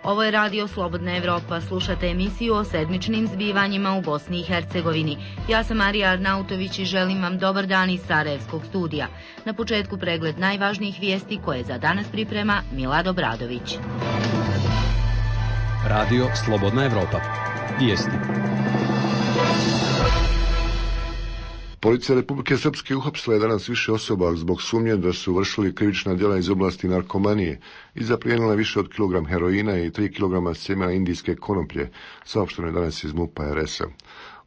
Ovo je Radio Slobodna Evropa. Slušate emisiju o sedmičnim zbivanjima u Bosni i Hercegovini. Ja sam Marija Arnautović i želim vam dobar dan iz Sarajevskog studija. Na početku pregled najvažnijih vijesti koje za danas priprema Milad Obradović. Radio Slobodna Evropa. Vijesti. Policija Republike Srpske uhapsila je danas više osoba zbog sumnje da su vršili krivična djela iz oblasti narkomanije i zaplijenila više od kilogram heroina i 3 kilograma sjemena indijske konoplje, saopšteno je danas iz MUP-a RS-a.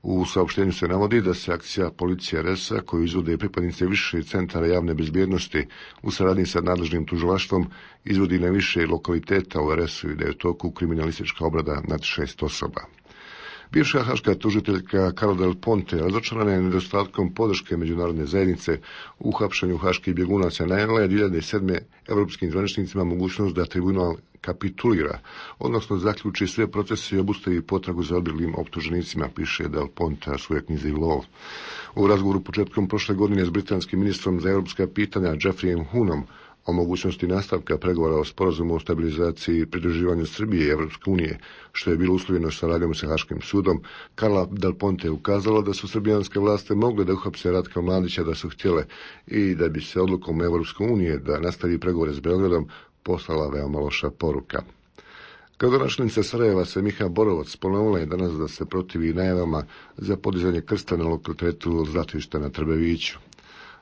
U saopštenju se navodi da se akcija policije RS-a, koju izvode pripadnice više centara javne bezbjednosti u saradnji sa nadležnim tužilaštvom, izvodi na više lokaliteta u RS-u i da je u toku kriminalistička obrada nad 6 osoba. Bivša haška tužiteljka Carla Del Ponte razočarana je nedostatkom podrške međunarodne zajednice u hapšenju haških bjegunaca. Najavila je 2007. europskim zvaničnicima mogućnost da tribunal kapitulira, odnosno zaključi sve procese i obustavi potragu za odbjeglim optuženicima, piše Del Ponte u svojoj knjizi Lov. U razgovoru početkom prošle godine s britanskim ministrom za europska pitanja Geoffreyem Hoonom o mogućnosti nastavka pregovora o sporazumu o stabilizaciji i pridruživanju Srbije i Evropske unije, što je bilo uslovljeno saradnjom sa Haškim sudom, Carla Del Ponte je ukazala da su srbijanske vlasti mogle da uhapse Ratka Mladića da su htjele i da bi se odlukom Evropske unije da nastavi pregovore s Beogradom poslala veoma loša poruka. Gradonačelnica Sarajeva Semiha Borovac ponovila je danas da se protivi najavama za podizanje krsta na lokalitetu Zlatišta na Trbeviću.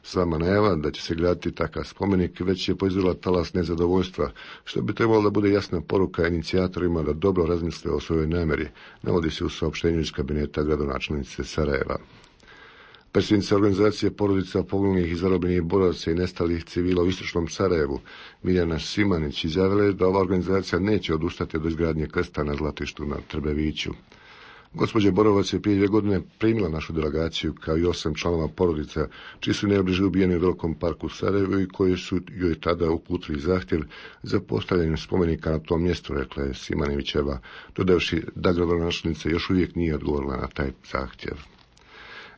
Sama najava da će se graditi takav spomenik već je proizvela talas nezadovoljstva, što bi trebalo da bude jasna poruka inicijatorima da dobro razmisle o svojoj namjeri, navodi se u saopštenju iz kabineta gradonačelnice Sarajeva. Predsjednica organizacije porodica poginulih i zarobljenih boraca i nestalih civila u istočnom Sarajevu, Mirjana Simanić, izjavila je da ova organizacija neće odustati od izgradnje krsta na Zlatištu na Trbeviću. Gospođa Borovac je prije 2 godine primila našu delegaciju kao i 8 članova porodica, čiji su najbliže ubijeni u Velikom parku Sarajevu i koji su joj tada uputili zahtjev za postavljanje spomenika na tom mjestu, rekla je Simanićeva, dodavši da gradonačelnica još uvijek nije odgovorila na taj zahtjev.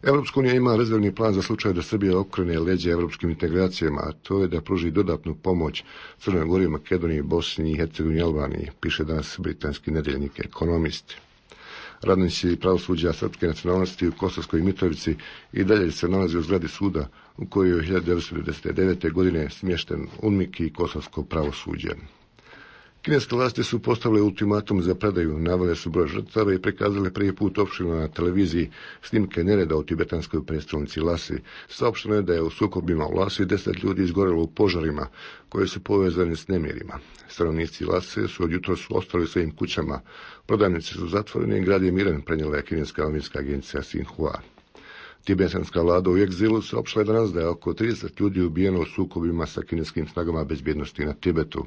Evropska unija ima rezervni plan za slučaj da Srbija okrene leđa evropskim integracijama, a to je da pruži dodatnu pomoć Crnoj Gori, Makedoniji, Bosni i Hercegovini i Albaniji, piše danas britanski nedeljnik Ekonomist. Radnici pravosuđa srpske nacionalnosti u Kosovskoj Mitrovici i dalje se nalazi u zgradi suda u kojoj je 1999. godine smješten UNMIK i kosovsko pravosuđe. Kineske vlasti su postavile ultimatum za predaju, navele su broj žrtava i prikazale prvi put opširno na televiziji snimke nereda u tibetanskoj prestolnici Lasi. Saopšteno je da je u sukobima u Lasi 10 ljudi izgorelo u požarima koje su povezani s nemirima. Stanovnici Lase su od jutros ostali u svojim kućama, prodavnice su zatvorene i grad je miran, prenijela je kineska novinska agencija Xinhua. Tibetanska vlada u egzilu saopštila je danas da je oko 30 ljudi ubijeno u sukobima sa kineskim snagama bezbjednosti na Tibetu.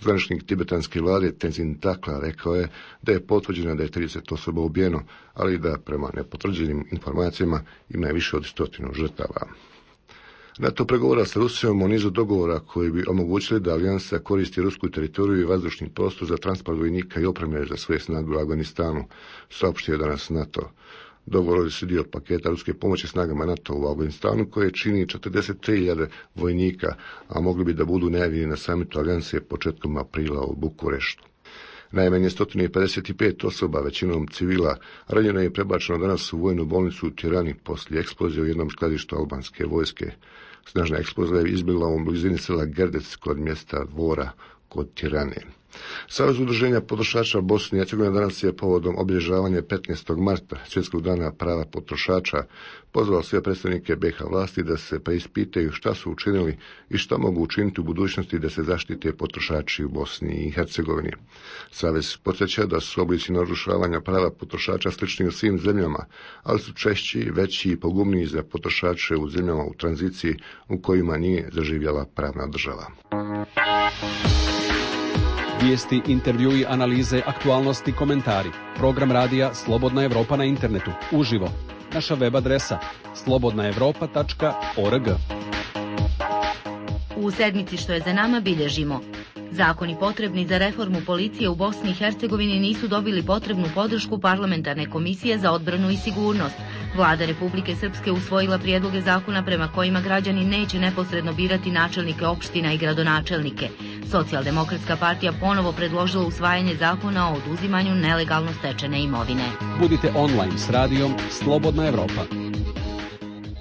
Zvaničnik tibetanske vlade Tenzin Takla rekao je da je potvrđeno da je 30 osoba ubijeno, ali da prema nepotvrđenim informacijama ima više od 100 žrtava. NATO pregovara sa Rusijom o nizu dogovora koji bi omogućili da alijansa koristi rusku teritoriju i vazdušni prostor za transport vojnika i opreme za svoje snage u Afganistanu, saopštio danas NATO. Dogovor su dio paketa ruske pomoći snagama NATO u Afganistanu koje čini 43.000 vojnika, a mogli bi da budu najavljeni na samitu alijanse početkom aprila u Bukureštu. Najmanje 155 osoba, većinom civila, ranjeno je prebačeno danas u vojnu bolnicu u Tirani poslije eksplozije u jednom skladištu albanske vojske. Snažna eksplozija je izbila u blizini sela Gerdec kod mjesta Dvora kod Tirane. Savez udruženja potrošača Bosne i Hercegovine danas je povodom obilježavanja 15. marta, Svjetskog dana prava potrošača, pozvao sve predstavnike BiH vlasti da se preispitaju šta su učinili i šta mogu učiniti u budućnosti da se zaštite potrošači u Bosni i Hercegovini. Savez podsjeća da su oblici narušavanja prava potrošača slični u svim zemljama, ali su češći, veći i pogubniji za potrošače u zemljama u tranziciji u kojima nije zaživjela pravna država. Vijesti, intervjui, analize, aktualnosti, komentari. Program radija Slobodna Evropa na internetu. Uživo. Naša web adresa slobodnaevropa.org. U sedmici što je za nama bilježimo: zakoni potrebni za reformu policije u Bosni i Hercegovini nisu dobili potrebnu podršku parlamentarne komisije za odbranu i sigurnost. Vlada Republike Srpske usvojila prijedloge zakona prema kojima građani neće neposredno birati načelnike opština i gradonačelnike. Socijaldemokratska partija ponovo predložila usvajanje zakona o oduzimanju nelegalno stečene imovine. Budite online s radijom Slobodna Evropa.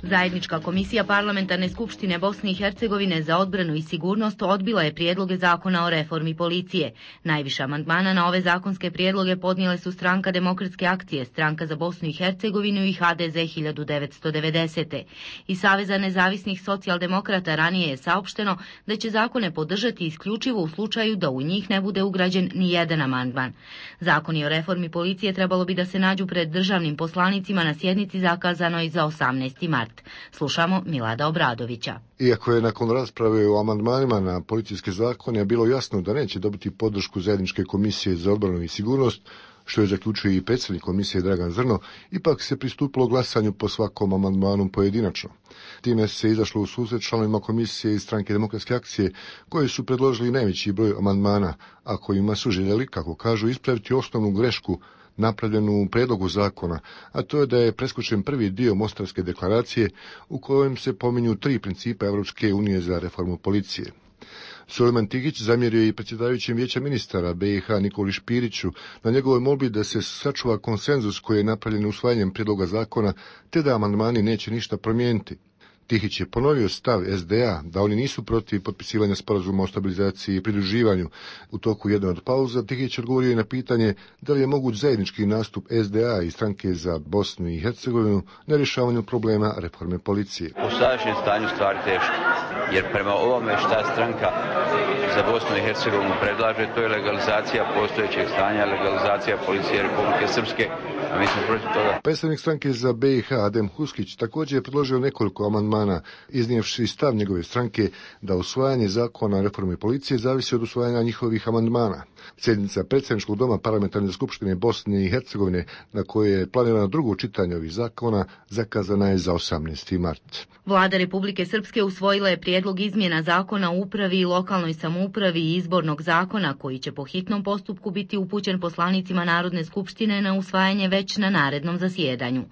Zajednička komisija Parlamentarne skupštine Bosne i Hercegovine za odbranu i sigurnost odbila je prijedloge zakona o reformi policije. Najviše amandmana na ove zakonske prijedloge podnijele su Stranka demokratske akcije, Stranka za Bosnu i Hercegovinu i HDZ 1990. Iz Saveza nezavisnih socijaldemokrata ranije je saopšteno da će zakone podržati isključivo u slučaju da u njih ne bude ugrađen ni jedan amandman. Zakoni o reformi policije trebalo bi da se nađu pred državnim poslanicima na sjednici zakazanoj za 18. mart. Slušamo Milada Obradovića. Iako je nakon rasprave o amandmanima na policijske zakone bilo jasno da neće dobiti podršku Zajedničke komisije za odbranu i sigurnost, što je zaključio i predsjednik komisije Dragan Zrno, ipak se pristupilo glasanju po svakom amandmanu pojedinačno. Time se izašlo u susret članovima komisije iz Stranke demokratske akcije, koji su predložili najveći broj amandmana, a kojima su željeli, kako kažu, ispraviti osnovnu grešku napravljenu u predlogu zakona, a to je da je preskočen prvi dio Mostarske deklaracije u kojem se pominju 3 principa Evropske unije za reformu policije. Sulejman Tigić zamjerio i predsjedavajućem vijeća ministara BiH Nikoli Špiriću na njegovoj molbi da se sačuva konsenzus koji je napravljen usvajanjem prijedloga zakona, te da amandmani neće ništa promijeniti. Tihić je ponovio stav SDA da oni nisu protiv potpisivanja sporazuma o stabilizaciji i pridruživanju. U toku jedne od pauza Tihić odgovorio i na pitanje da li je moguć zajednički nastup SDA i Stranke za Bosnu i Hercegovinu na rješavanju problema reforme policije. U sadašnjem stanju stvari teško, jer prema ovome šta Stranka za Bosnu i Hercegovinu predlaže, to je legalizacija postojećeg stanja, legalizacija policije Republike Srpske, a mi smo protiv toga. Predstavnik Stranke za BiH Adem Huskić također je predložio nekoliko amandmana, iznijevši stav njegove stranke da usvajanje zakona o reformi policije zavisi od usvajanja njihovih amandmana. Sjednica predsjedničkog doma Parlamentarne skupštine Bosne i Hercegovine, na kojoj je planirano drugo čitanje ovih zakona, zakazana je za 18. mart. Vlada Republike Srpske usvojila je prijedlog izmjena zakona o upravi i lokalnoj samoupravi i izbornog zakona, koji će po hitnom postupku biti upućen poslanicima Narodne skupštine na usvajanje već na narednom zasjedanju.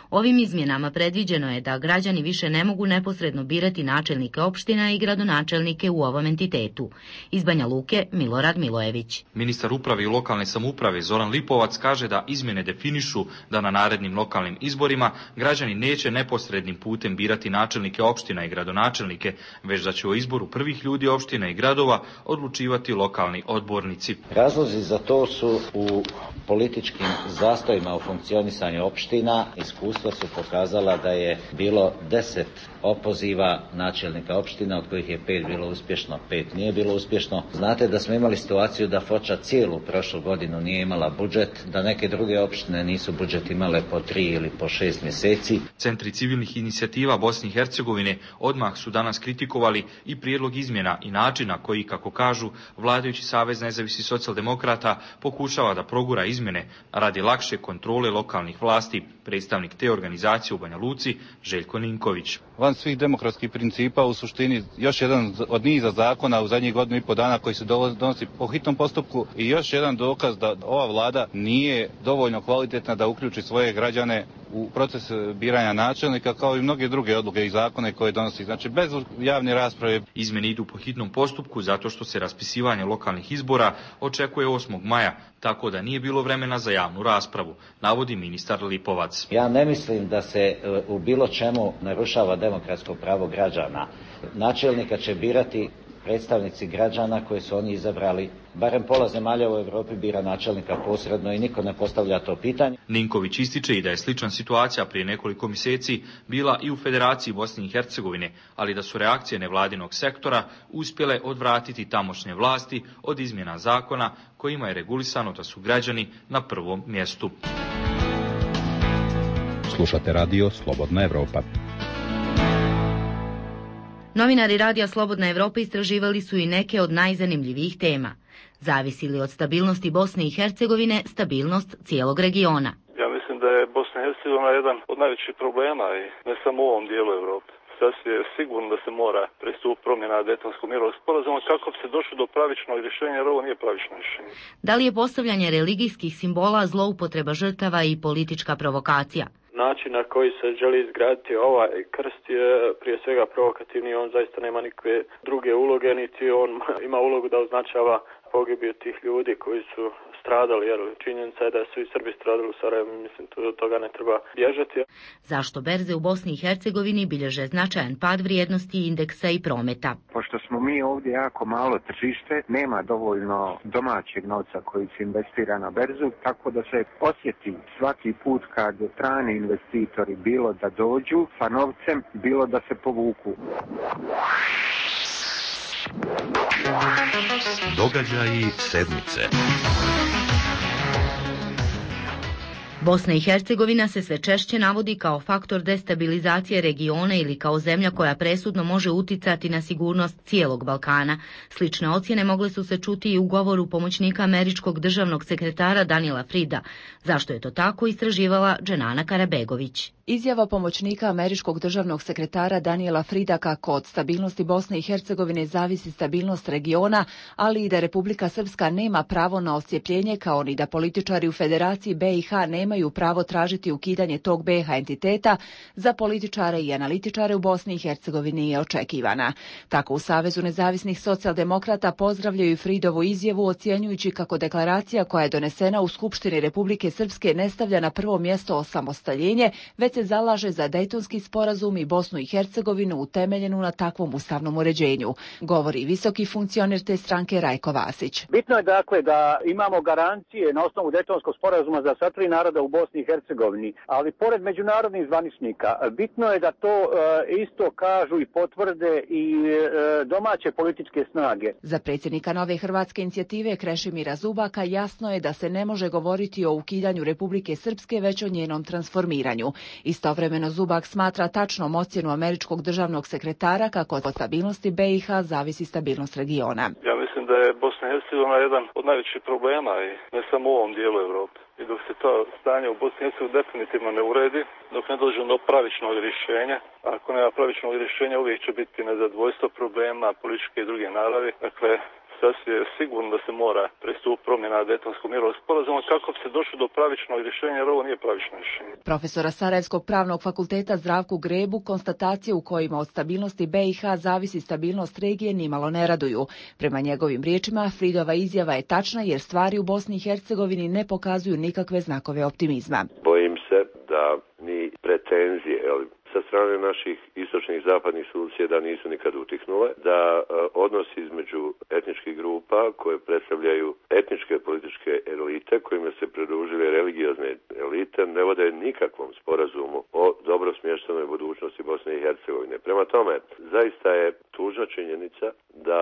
Ovim izmjenama predviđeno je da građani više ne mogu neposredno birati načelnike opština i gradonačelnike u ovom entitetu. Iz Banja Luke, Milorad Milojević. Ministar uprave i lokalne samouprave Zoran Lipovac kaže da izmjene definišu da na narednim lokalnim izborima građani neće neposrednim putem birati načelnike opština i gradonačelnike, već da će o izboru prvih ljudi opština i gradova odlučivati lokalni odbornici. Razlozi za to su u političkim zastojima u funkcionisanju opština. Iskustva su pokazala da je bilo 10 opoziva načelnika opština, od kojih je 5 bilo uspješno, 5 nije bilo uspješno. Znate da smo imali situaciju da Foča cijelu prošlu godinu nije imala budžet, da neke druge opštine nisu budžet imale po 3 ili po 6 mjeseci. Centri civilnih inicijativa Bosne i Hercegovine odmah su danas kritikovali i prijedlog izmjena i načina koji, kako kažu, vladajući Savez nezavisnih socijaldemokrata pokušava da progura izmjene radi lakše kontrole lokalnih vlasti. Predstavnik te organizacije u Banja Luci, Željko Ninković. Van svih demokratskih principa, u suštini još jedan od niza zakona u zadnjih godinu i pol dana koji se donosi po hitnom postupku i još jedan dokaz da ova vlada nije dovoljno kvalitetna da uključi svoje građane u proces biranja načelnika, kao i mnoge druge odluke i zakone koje donosi. Znači, bez javne rasprave. Izmjene idu po hitnom postupku zato što se raspisivanje lokalnih izbora očekuje 8. maja, tako da nije bilo vremena za javnu raspravu, navodi ministar Lipovac. Ja ne mislim da se u bilo čemu narušava demokratsko pravo građana. Načelnika će birati predstavnici građana koje su oni izabrali. Barem pola zemalja u Europi bira načelnika posredno i niko ne postavlja to pitanje. Ninković ističe i da je slična situacija prije nekoliko mjeseci bila i u Federaciji Bosne i Hercegovine, ali da su reakcije nevladinog sektora uspjele odvratiti tamošnje vlasti od izmjena zakona kojima je regulisano da su građani na prvom mjestu. Slušate radio Slobodna Evropa. Novinari Radija Slobodna Evropa istraživali su i neke od najzanimljivijih tema. Zavisi li od stabilnosti Bosne i Hercegovine stabilnost cijelog regiona? Ja mislim da je Bosna i Hercegovina jedan od najvećih problema i ne samo u ovom dijelu Europe. Sasvim je sigurno da se mora pristupiti promjena Dejtonskog mirovnog sporazuma kako bi se došlo do pravičnog rješenja, jer ovo nije pravično rješenje. Da li je postavljanje religijskih simbola zloupotreba žrtava i politička provokacija? način na koji se želi izgraditi ovaj krst je prije svega provokativni, on zaista nema nikakve druge uloge, niti on ima ulogu da označava pogibiju tih ljudi koji su stradali, jer činjenica je da su i Srbi stradali u Sarajevu, mislim, od toga ne treba bježati. Zašto berze u Bosni i Hercegovini bilježe značajan pad vrijednosti indeksa i prometa? Pošto smo mi ovdje jako malo tržište, nema dovoljno domaćeg novca koji se investira na berzu, tako da se osjeti svaki put kad strani investitori bilo da dođu sa novcem, bilo da se povuku. Događaji sedmice. Bosna i Hercegovina se sve češće navodi kao faktor destabilizacije regiona ili kao zemlja koja presudno može uticati na sigurnost cijelog Balkana. Slične ocjene mogle su se čuti i u govoru pomoćnika američkog državnog sekretara Daniela Frida. Zašto je to tako, istraživala Dženana Karabegović. Izjava pomoćnika američkog državnog sekretara Daniela Frida kako od stabilnosti Bosne i Hercegovine zavisi stabilnost regiona, ali i da Republika Srpska nema pravo na oscijepljenje, kao ni da političari u Federaciji BiH nemaju pravo tražiti ukidanje tog BiH entiteta, za političare i analitičare u Bosni i Hercegovini je očekivana. Tako u Savezu nezavisnih socijaldemokrata pozdravljaju Fridovu izjavu, ocjenjujući kako deklaracija koja je donesena u Skupštini Republike Srpske ne stavlja na prvo mjesto osamostaljenje, već se zalaže za Dejtonski sporazum i Bosnu i Hercegovinu utemeljenu na takvom ustavnom uređenju, govori visoki funkcioner te stranke Rajko Vasić. Bitno je dakle da imamo garancije na osnovu Dejtonskog sporazuma za sva tri naroda u Bosni i Hercegovini, ali pored međunarodnih zvaničnika, bitno je da to isto kažu i potvrde i domaće političke snage. Za predsjednika Nove hrvatske inicijative Krešimira Zubaka jasno je da se ne može govoriti o ukidanju Republike Srpske, već o njenom transformiranju. Istovremeno Zubak smatra tačnom ocjenu američkog državnog sekretara kako od stabilnosti BiH zavisi stabilnost regiona. Ja mislim da je Bosna i Hercegovina jedan od najvećih problema i ne samo u ovom dijelu Europe. I dok se to stanje u Bosni i Hercegovini definitivno ne uredi, dok ne dođe do pravičnog rješenja, ako nema pravičnog rješenja uvijek će biti nezadovoljstvo problema političke i druge naravi. Dakle, sasvim je sigurno da se mora pristupiti promjena Dejtonskog mirovnog sporazuma kako bi se došlo do pravičnog rješenja, jer ovo nije pravično rješenje. Profesora Sarajevskog pravnog fakulteta Zdravku Grebu konstatacije u kojima od stabilnosti BiH zavisi stabilnost regije nimalo ne raduju. Prema njegovim riječima, Fridova izjava je tačna jer stvari u Bosni i Hercegovini ne pokazuju nikakve znakove optimizma. Bojim se da ni pretenzije, sa strane naših istočnih i zapadnih susjeda nisu nikad utihnule, da odnosi između etničkih grupa koje predstavljaju etničke političke elite, kojima se pridružile religiozne elite, ne vode nikakvom sporazumu o dobro smještenoj budućnosti Bosne i Hercegovine. Prema tome, zaista je tužna činjenica da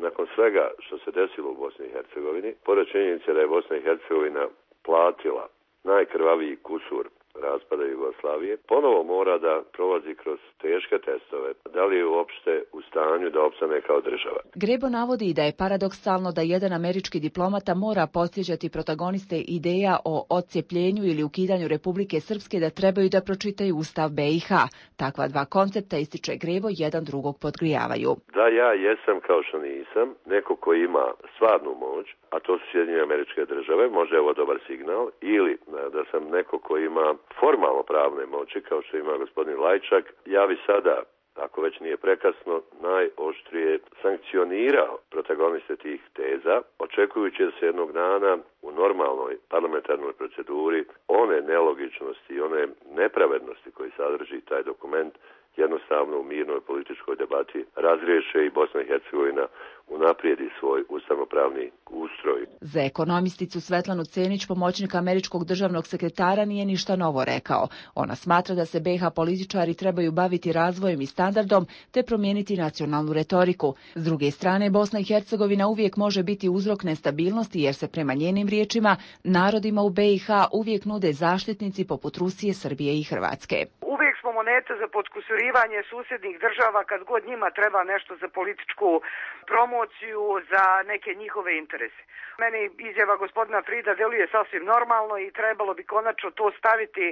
nakon svega što se desilo u Bosni i Hercegovini, pored činjenice da je Bosna i Hercegovina platila najkrvaviji kusur raspada Jugoslavije, ponovo mora da prolazi kroz teške testove. Da li je uopšte u stanju da opstane kao država? Grebo navodi da je paradoksalno da jedan američki diplomata mora podsjećati protagoniste ideja o odcijepljenju ili ukidanju Republike Srpske da trebaju da pročitaju Ustav BiH. Takva dva koncepta, ističe Grebo, jedan drugog podgrijavaju. Da ja jesam kao što nisam, neko ko ima stvarnu moć, a to su Sjedinjene Američke Države, možda je ovo dobar signal, ili da sam neko ko ima formalno pravne moći, kao što ima gospodin Lajčak, ja bi sada, ako već nije prekasno, najoštrije sankcionirao protagoniste tih teza, očekujući da se jednog dana u normalnoj parlamentarnoj proceduri one nelogičnosti i one nepravednosti koji sadrži taj dokument jednostavno u mirnoj političkoj debati razriješe i Bosna i Hercegovina unaprijedi svoj ustavnopravni ustroj. Za ekonomisticu Svetlanu Cenić, pomoćnik američkog državnog sekretara, nije ništa novo rekao. Ona smatra da se BiH političari trebaju baviti razvojem i standardom te promijeniti nacionalnu retoriku. S druge strane, Bosna i Hercegovina uvijek može biti uzrok nestabilnosti jer se prema njenim riječima narodima u BiH uvijek nude zaštitnici poput Rusije, Srbije i Hrvatske. Uvijek smo moneta za podkusurivanje susjednih država kad god njima treba nešto za političku promociju, za neke njihove interese. Meni izjava gospodina Frida deluje sasvim normalno i trebalo bi konačno to staviti,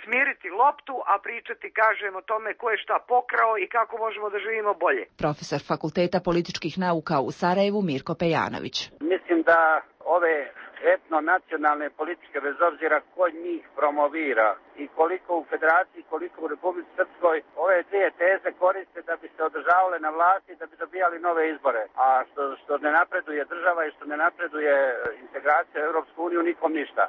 smiriti loptu, a pričati, kažem, o tome ko je šta pokrao i kako možemo da živimo bolje. Profesor Fakulteta političkih nauka u Sarajevu Mirko Pejanović. Mislim da ove etno-nacionalne politike, bez obzira ko njih promovira i koliko u Federaciji, koliko u Republici Srpskoj ove dvije teze koriste da bi se održavale na vlasti i da bi dobijali nove izbore. A što ne napreduje država i što ne napreduje integracija u Europsku uniju, nikom ništa.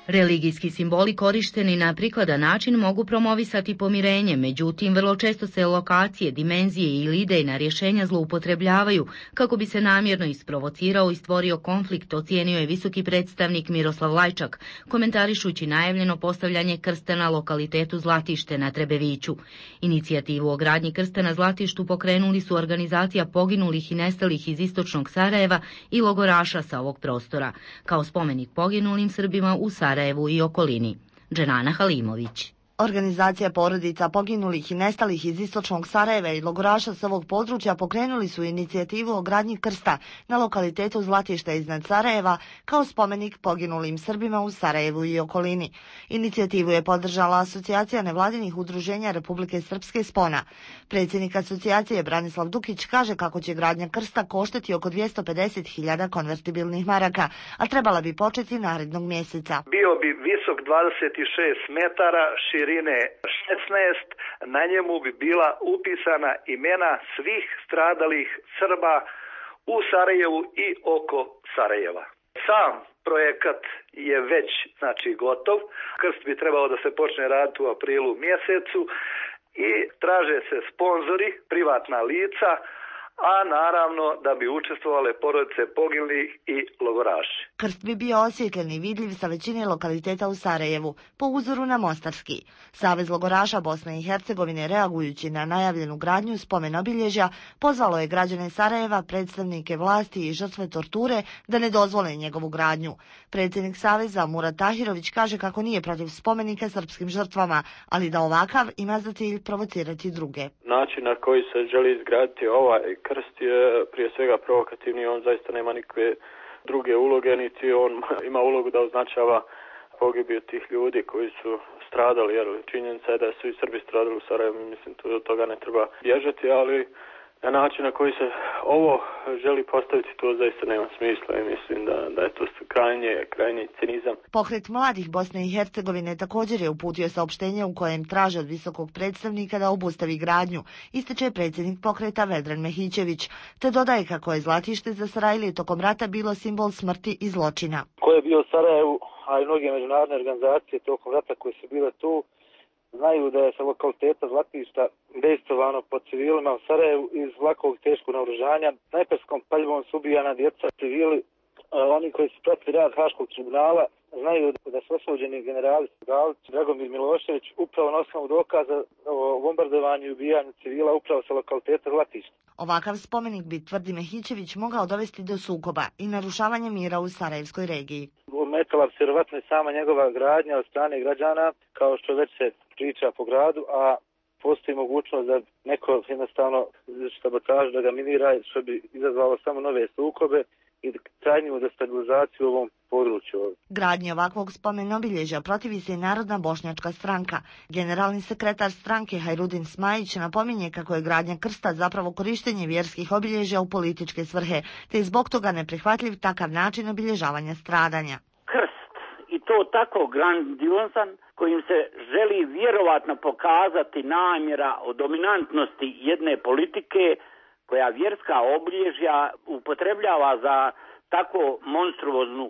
Religijski simboli korišteni na prikladan način mogu promovisati pomirenje, međutim vrlo često se lokacije, dimenzije ili idejna rješenja zloupotrebljavaju kako bi se namjerno isprovocirao i stvorio konflikt, ocijenio je visoki predstavnik Miroslav Lajčak, komentarišući najavljeno postavljanje krsta na lokalitetu Zlatište na Trebeviću. Inicijativu o gradnji krsta na Zlatištu pokrenuli su organizacija poginulih i nestalih iz istočnog Sarajeva i logoraša sa ovog prostora, kao spomenik poginulim Srbima u Sarajevu i okolini. Dženana Halimović. Organizacija porodica poginulih i nestalih iz istočnog Sarajeva i logoraša s ovog područja pokrenuli su inicijativu o gradnji krsta na lokalitetu Zlatište iznad Sarajeva kao spomenik poginulim Srbima u Sarajevu i okolini. Inicijativu je podržala Asocijacija nevladinih udruženja Republike Srpske Spona. Predsjednik asocijacije Branislav Dukić kaže kako će gradnja krsta koštati oko 250.000 konvertibilnih maraka, a trebala bi početi narednog mjeseca. Bio bi visok 26 metara, širine 16, na njemu bi bila upisana imena svih stradalih Srba u Sarajevu i oko Sarajeva. Sam projekat je već gotov. Krst bi trebao da se počne raditi u aprilu mjesecu i traže se sponzori, privatna lica, a naravno da bi učestvovale porodice poginulih i logoraši. Krst bi bio osvjetljen i vidljiv sa većine lokaliteta u Sarajevu, po uzoru na Mostarski. Savez logoraša Bosne i Hercegovine, reagujući na najavljenu gradnju spomen obilježja, pozvalo je građane Sarajeva, predstavnike vlasti i žrtve torture da ne dozvole njegovu gradnju. Predsjednik Saveza Murat Tahirović kaže kako nije protiv spomenika srpskim žrtvama, ali da ovakav ima za cilj provocirati druge. Način na koji se želi izgraditi ovaj krst je prije svega provokativni, on zaista nema nikakve druge uloge, niti on ima ulogu da označava pogibiju tih ljudi koji su stradali, jer činjenica je da su i Srbi stradali u Sarajevu, mislim, od toga ne treba bježati, ali na način na koji se ovo želi postaviti, to zaista nema smisla i mislim da je to krajnji cinizam. Pokret mladih Bosne i Hercegovine također je uputio saopštenje u kojem traže od visokog predstavnika da obustavi gradnju, ističe predsjednik pokreta Vedran Mehićević, te dodaje kako je Zlatište za Sarajlije tokom rata bilo simbol smrti i zločina. Ko je bio u Sarajevu, a i mnoge međunarodne organizacije tokom rata koje su bile tu, znaju da je sa lokaliteta Zlatišta dejstvovano po civilima u Sarajevu iz lakog teškog naoružanja. Snajperskom paljbom su ubijana djeca, civili. Oni koji su pratili rad Haškog tribunala znaju da su osuđeni generali Galić, Dragomir Milošević upravo na osnovu dokaza o bombardovanju i ubijanju civila upravo sa lokaliteta Zlatišta. Ovakav spomenik bi, tvrdi Mehićević, mogao dovesti do sukoba i narušavanja mira u Sarajevskoj regiji. Ometala bi se vjerovatno i sama njegova gradnja od strane građana, kao što već se priča po gradu, a postoji mogućnost da neko jednostavno sabotaž da ga minira, što bi izazvalo samo nove sukobe i trajniju destabilizaciju u ovom području. Gradnji ovakvog spomen obilježja protivi se i Narodna bošnjačka stranka. Generalni sekretar stranke Hajrudin Smajić napominje kako je gradnja krsta zapravo korištenje vjerskih obilježja u političke svrhe, te je zbog toga neprihvatljiv takav način obilježavanja stradanja. Krst, i to tako grandiozan, kojim se želi vjerovatno pokazati namjera o dominantnosti jedne politike koja vjerska obilježja upotrebljava za tako monstruoznu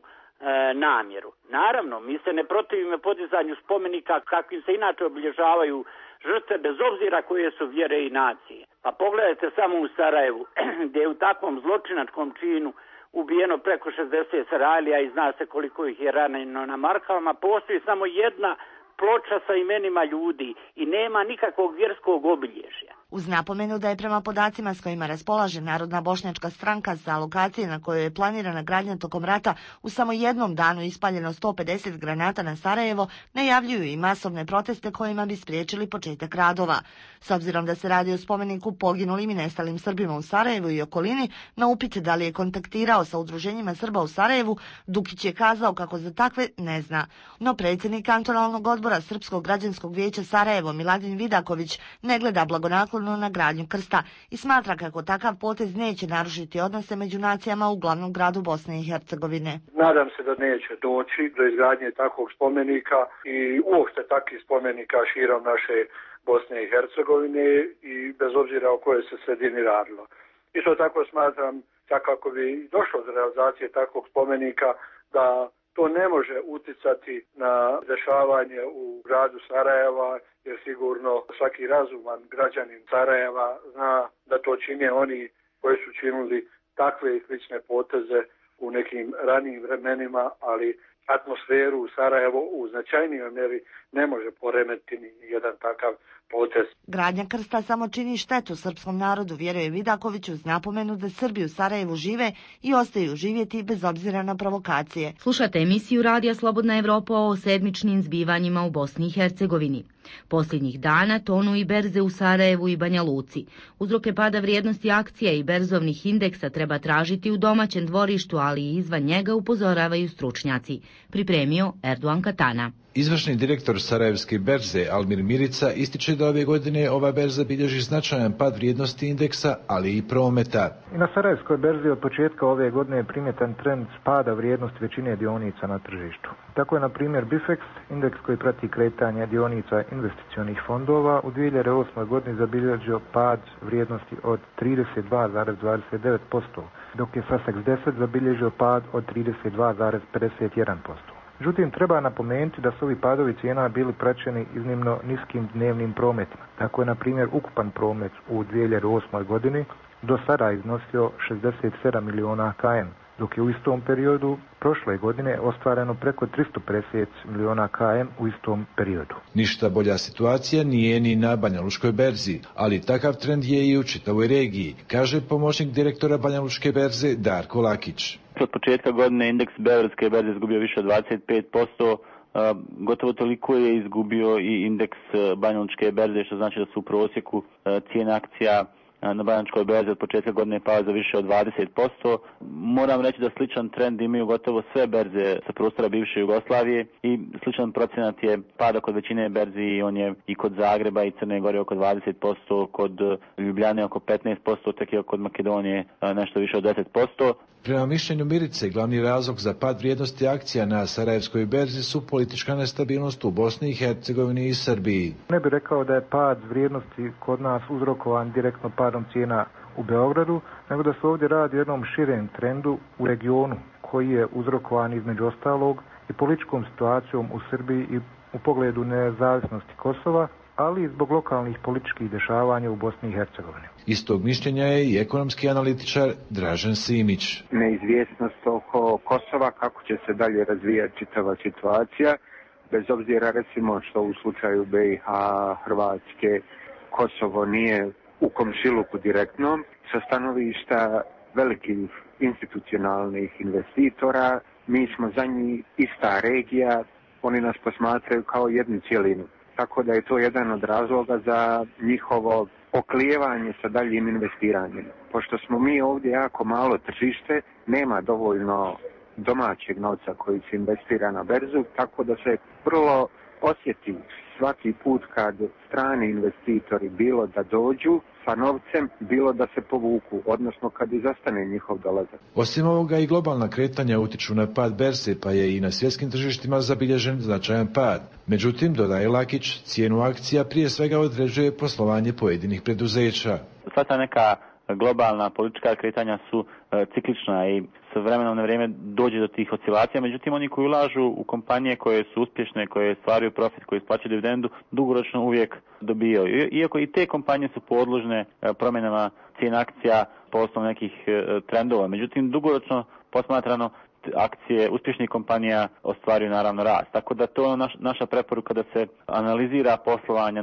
namjeru. Naravno, mi se ne protivimo podizanju spomenika kakvim se inače obilježavaju žrtve bez obzira koje su vjere i nacije. Pa pogledajte samo u Sarajevu, gdje je u takvom zločinačkom činu ubijeno preko 60 Sarajlija i zna se koliko ih je ranjeno na markavama, postoji samo jedna ploča sa imenima ljudi i nema nikakvog vjerskog obilježja. Uz napomenu da je prema podacima s kojima raspolaže Narodna bošnjačka stranka za lokacije na kojoj je planirana gradnja tokom rata u samo jednom danu ispaljeno 150 granata na Sarajevo, najavljuju i masovne proteste kojima bi spriječili početak radova. S obzirom da se radi o spomeniku poginulim i nestalim Srbima u Sarajevu i okolini, na upit da li je kontaktirao sa udruženjima Srba u Sarajevu, Dukić je kazao kako za takve ne zna. No predsjednik kantonalnog odbora Srpskog građanskog vijeća Sarajevo Miladin Vidaković ne gleda blagonaklono obrnu na gradnju krsta i smatra kako takav potez neće narušiti odnose među nacijama u glavnom gradu Bosne i Hercegovine. Nadam se da neće doći do izgradnje takvog spomenika i uopšte takvih spomenika širom naše Bosne i Hercegovine i bez obzira o kojoj se sredini radilo. Isto tako smatram da kako bi došlo do realizacije takvog spomenika da to ne može uticati na dešavanje u gradu Sarajeva, jer sigurno svaki razuman građanin Sarajeva zna da to čine oni koji su činili takve i slične poteze u nekim ranijim vremenima, ali atmosferu u Sarajevu u značajnijoj mjeri ne može poremetiti ni jedan takav potez. Gradnja krsta samo čini štetu srpskom narodu, vjeruje Vidaković, uz napomenu da Srbi u Sarajevu žive i ostaju živjeti bez obzira na provokacije. Slušate emisiju Radija Slobodna Evropa o sedmičnim zbivanjima u Bosni i Hercegovini. Posljednjih dana tonu i berze u Sarajevu i Banja Luci. Uzroke pada vrijednosti akcija i berzovnih indeksa treba tražiti u domaćem dvorištu, ali i izvan njega, upozoravaju stručnjaci. Pripremio Erdogan Katana. Izvršni direktor Sarajevske berze Almir Mirica ističe da ove godine ova berza bilježi značajan pad vrijednosti indeksa, ali i prometa. I na Sarajevskoj berzi od početka ove godine je primjetan trend pada vrijednosti većine dionica na tržištu. Tako je, na primjer, Bifex, indeks koji prati kretanje dionica investicionih fondova, u 2008. godini zabilježio pad vrijednosti od 32,29%, dok je Sasex 10 zabilježio pad od 32,51%. Međutim, treba napomenuti da su ovi padovi cijena bili praćeni iznimno niskim dnevnim prometima. Tako je, na primjer, ukupan promet u 2008. godini do sada iznosio 67 miliona km, dok je u istom periodu prošle godine ostvareno preko 350 miliona km u istom periodu. Ništa bolja situacija nije ni na Banjalučkoj berzi, ali takav trend je i u čitavoj regiji, kaže pomoćnik direktora Banjalučke berze Darko Lakić. Od početka godine indeks Beogradske berze izgubio više od 25%, gotovo toliko je izgubio i indeks Banjalučke berze, što znači da su u prosjeku cijene akcija na Banjalučkoj berzi od početka godine pao za više od 20%. Moram reći da sličan trend imaju gotovo sve berze sa prostora bivše Jugoslavije i sličan procenat je pada kod većine berzi i on je i kod Zagreba i Crne Gore oko 20%, kod Ljubljane oko 15%, tek je kod Makedonije nešto više od 10%. Prema mišljenju Mirice, glavni razlog za pad vrijednosti akcija na Sarajevskoj berzi su politička nestabilnost u Bosni i Hercegovini i Srbiji. Ne bih rekao da je pad vrijednosti kod nas uzrokovan direktno padom cijena u Beogradu, nego da se ovdje radi o jednom širem trendu u regionu koji je uzrokovan između ostalog i političkom situacijom u Srbiji i u pogledu nezavisnosti Kosova, ali i zbog lokalnih političkih dešavanja u Bosni i Hercegovini. Istog mišljenja je i ekonomski analitičar Dražen Simić. Neizvjesnost oko Kosova, kako će se dalje razvijati čitava situacija, bez obzira recimo što u slučaju BiH, Hrvatske, Kosovo nije u komšiluku direktnom, sa stanovišta velikih institucionalnih investitora, mi smo za njih ista regija, oni nas posmatraju kao jednu cjelinu. Tako da je to jedan od razloga za njihovo oklijevanje sa daljim investiranjem. Pošto smo mi ovdje jako malo tržište, nema dovoljno domaćeg novca koji se investira na berzu, tako da se vrlo osjeti svaki put kad strani investitori bilo da dođu sa novcem, bilo da se povuku, odnosno kad izostane njihov dolazak. Osim ovoga i globalna kretanja utiču na pad berze, pa je i na svjetskim tržištima zabilježen značajan pad. Međutim, dodaje Lakić, cijenu akcija prije svega određuje poslovanje pojedinih preduzeća. Svata neka globalna politička kretanja su ciklična i s vremenom na vrijeme dođe do tih oscilacija, međutim oni koji ulažu u kompanije koje su uspješne, koje stvaraju profit, koji isplaćuju dividendu, dugoročno uvijek dobijaju. Iako i te kompanije su podložne promjenama cijena akcija po osnovu nekih trendova, međutim dugoročno posmatrano akcije uspješnih kompanija ostvaruju naravno rast. Tako da to je naša preporuka da se analizira poslovanje,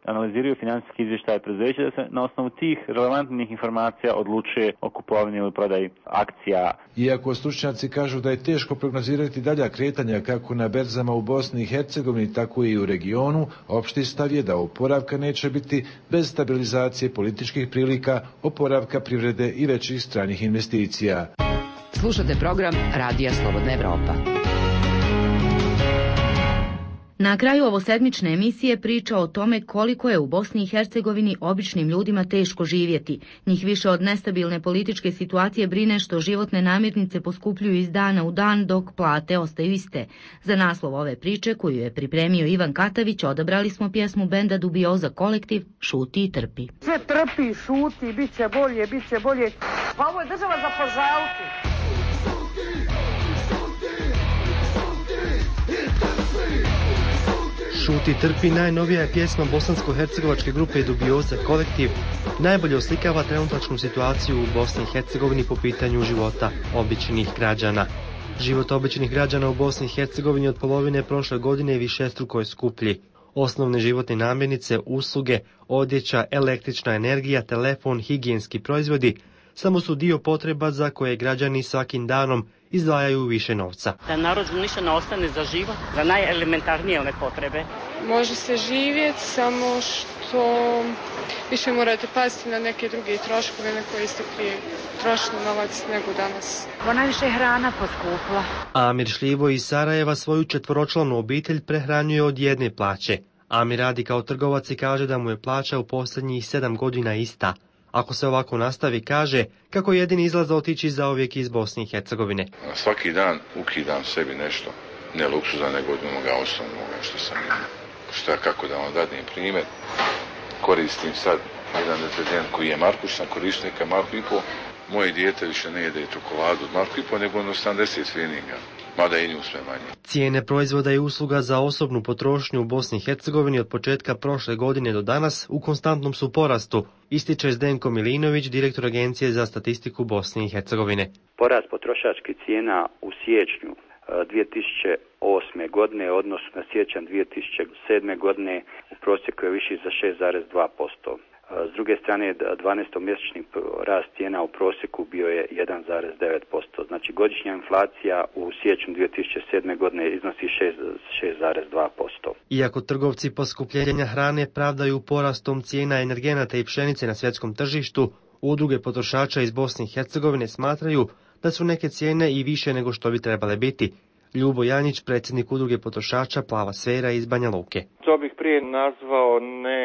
analiziraju financijski izvještaje preduzeća, da se na osnovu tih relevantnih informacija odlučuje o kupovini ili prodaji akcija. Iako stručnjaci kažu da je teško prognozirati dalja kretanja kako na berzama u Bosni i Hercegovini, tako i u regionu, opšti stav je da oporavka neće biti bez stabilizacije političkih prilika, oporavka privrede i većih stranih investicija. Slušate program Radija Slobodna Evropa. Na kraju ovosedmične emisije priča o tome koliko je u Bosni i Hercegovini običnim ljudima teško živjeti. Njih više od nestabilne političke situacije brine što životne namirnice poskupljuju iz dana u dan dok plate ostaju iste. Za naslov ove priče, koju je pripremio Ivan Katavić, odabrali smo pjesmu benda Dubioza Kolektiv "Šuti i trpi". Sve trpi, šuti, bit će bolje, bit će bolje. Pa ovo je država za požaliti. Šuti trpi najnovija je pjesma bosansko-hercegovačke grupe Dubioza Kolektiv. Najbolje oslikava trenutačnu situaciju u Bosni i Hercegovini po pitanju života običnih građana. Život običnih građana u Bosni i Hercegovini od polovine prošle godine višestruko je skuplji. Osnovne životne namirnice, usluge, odjeća, električna energija, telefon, higijenski proizvodi samo su dio potreba za koje građani svakim danom izdvajaju više novca. Da narodu ništa ne ostane za život, za najelementarnije one potrebe. Može se živjeti, samo što više morate paziti na neke druge troškove na koje ste prije trošili novac nego danas. Najviše hrana poskupla. Amir Šljivo iz Sarajeva svoju 4-članu obitelj prehranjuje od jedne plaće. Amir radi kao trgovac i kaže da mu je plaća u posljednjih 7 godina ista. Ako se ovako nastavi, kaže kako jedini izlaz otići zauvijek iz Bosne i Hercegovine. Svaki dan ukidam sebi nešto, ne luksuza, nego od onoga osnovnoga što sam imao. Kako da vam dadnem primjer, koristim sad jedan deterdžent koji je Marku, sam koristio neka Marku i po. Moje dijete više ne jede čokoladu od Marku i po, nego 80 feelinga. Mada i nju sve manje. Cijene proizvoda i usluga za osobnu potrošnju u Bosni i Hercegovini od početka prošle godine do danas u konstantnom su porastu, ističe Zdenko Milinović, direktor Agencije za statistiku Bosne i Hercegovine. Porast potrošačkih cijena u siječnju 2008. godine, odnosno na siječanj 2007. godine, u prosjeku je viši za 6,2%. S druge strane, 12-mjesečni rast cijena u prosjeku bio je 1,9%. Znači, godišnja inflacija u siječnju 2007. godine iznosi 6,2%. Iako trgovci poskupljenja hrane pravdaju porastom cijena energenata i pšenice na svjetskom tržištu, udruge potrošača iz Bosne i Hercegovine smatraju da su neke cijene i više nego što bi trebale biti. Ljubo Janjić, predsjednik udruge potrošača Plava sfera iz Banja Luke. To bih prije nazvao ne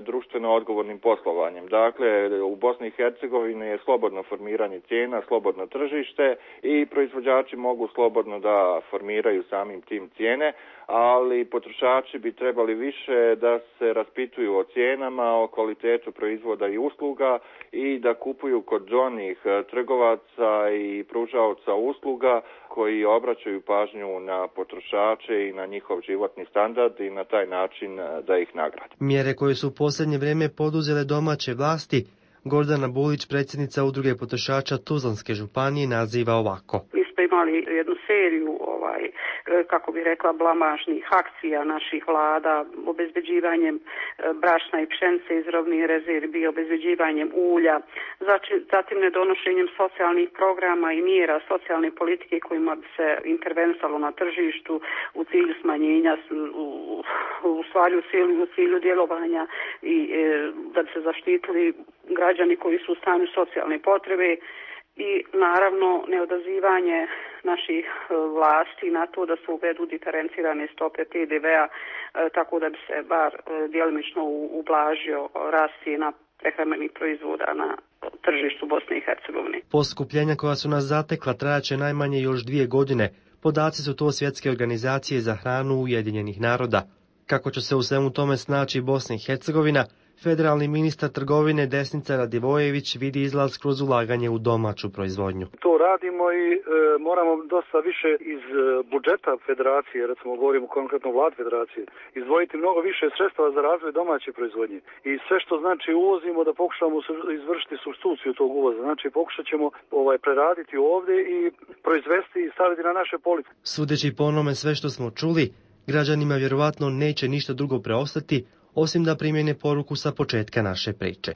društveno odgovornim poslovanjem. Dakle, u Bosni i Hercegovini je slobodno formiranje cijena, slobodno tržište i proizvođači mogu slobodno da formiraju samim tim cijene, ali potrošači bi trebali više da se raspituju o cijenama, o kvalitetu proizvoda i usluga i da kupuju kod onih trgovaca i pružaoca usluga koji obraćaju pažnju na potrošače i na njihov životni standard i na taj način da ih nagrade. Mjere koje su u posljednje vrijeme poduzele domaće vlasti, Gordana Bulić, predsjednica udruge potrošača Tuzlanske županije, naziva ovako. Mi smo imali jednu seriju, kako bi rekla, blamažnih akcija naših vlada, obezbeđivanjem brašna i pšenice iz robnih rezervi, obezbeđivanjem ulja, zatim nedonošenjem socijalnih programa i mjera socijalne politike kojima bi se intervenisalo na tržištu u cilju smanjenja, u cilju djelovanja i da bi se zaštitili građani koji su u stanju socijalne potrebe. I naravno neodazivanje naših vlasti na to da se uvedu diferencirane stope PDV-a tako da bi se bar djelimično ublažio rast cijena prehrambenih proizvoda na tržištu Bosne i Hercegovine. Poskupljenja koja su nas zatekla trajaće najmanje još 2 godine. Podaci su to Svjetske organizacije za hranu Ujedinjenih naroda. Kako će se u svemu tome snaći Bosna i Hercegovina, federalni ministar trgovine Desnica Radivojević vidi izlaz kroz ulaganje u domaću proizvodnju. To radimo i moramo dosta više iz budžeta federacije, recimo govorimo konkretno vlad federacije, izdvojiti mnogo više sredstava za razvoj domaće proizvodnje. I sve što znači uvozimo da pokušamo izvršiti supstituciju tog uvoza. Znači pokušat ćemo preraditi ovdje i proizvesti i staviti na naše police. Sudeći po onome sve što smo čuli, građanima vjerovatno neće ništa drugo preostati osim da primjene poruku sa početka naše priče.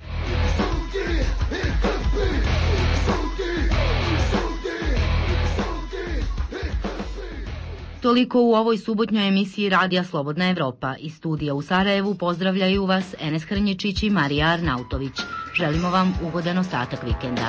Toliko u ovoj subotnjoj emisiji Radija Slobodna Evropa. Iz studija u Sarajevu pozdravljaju vas Enes Hrnječić i Marija Arnautović. Želimo vam ugodan ostatak vikenda.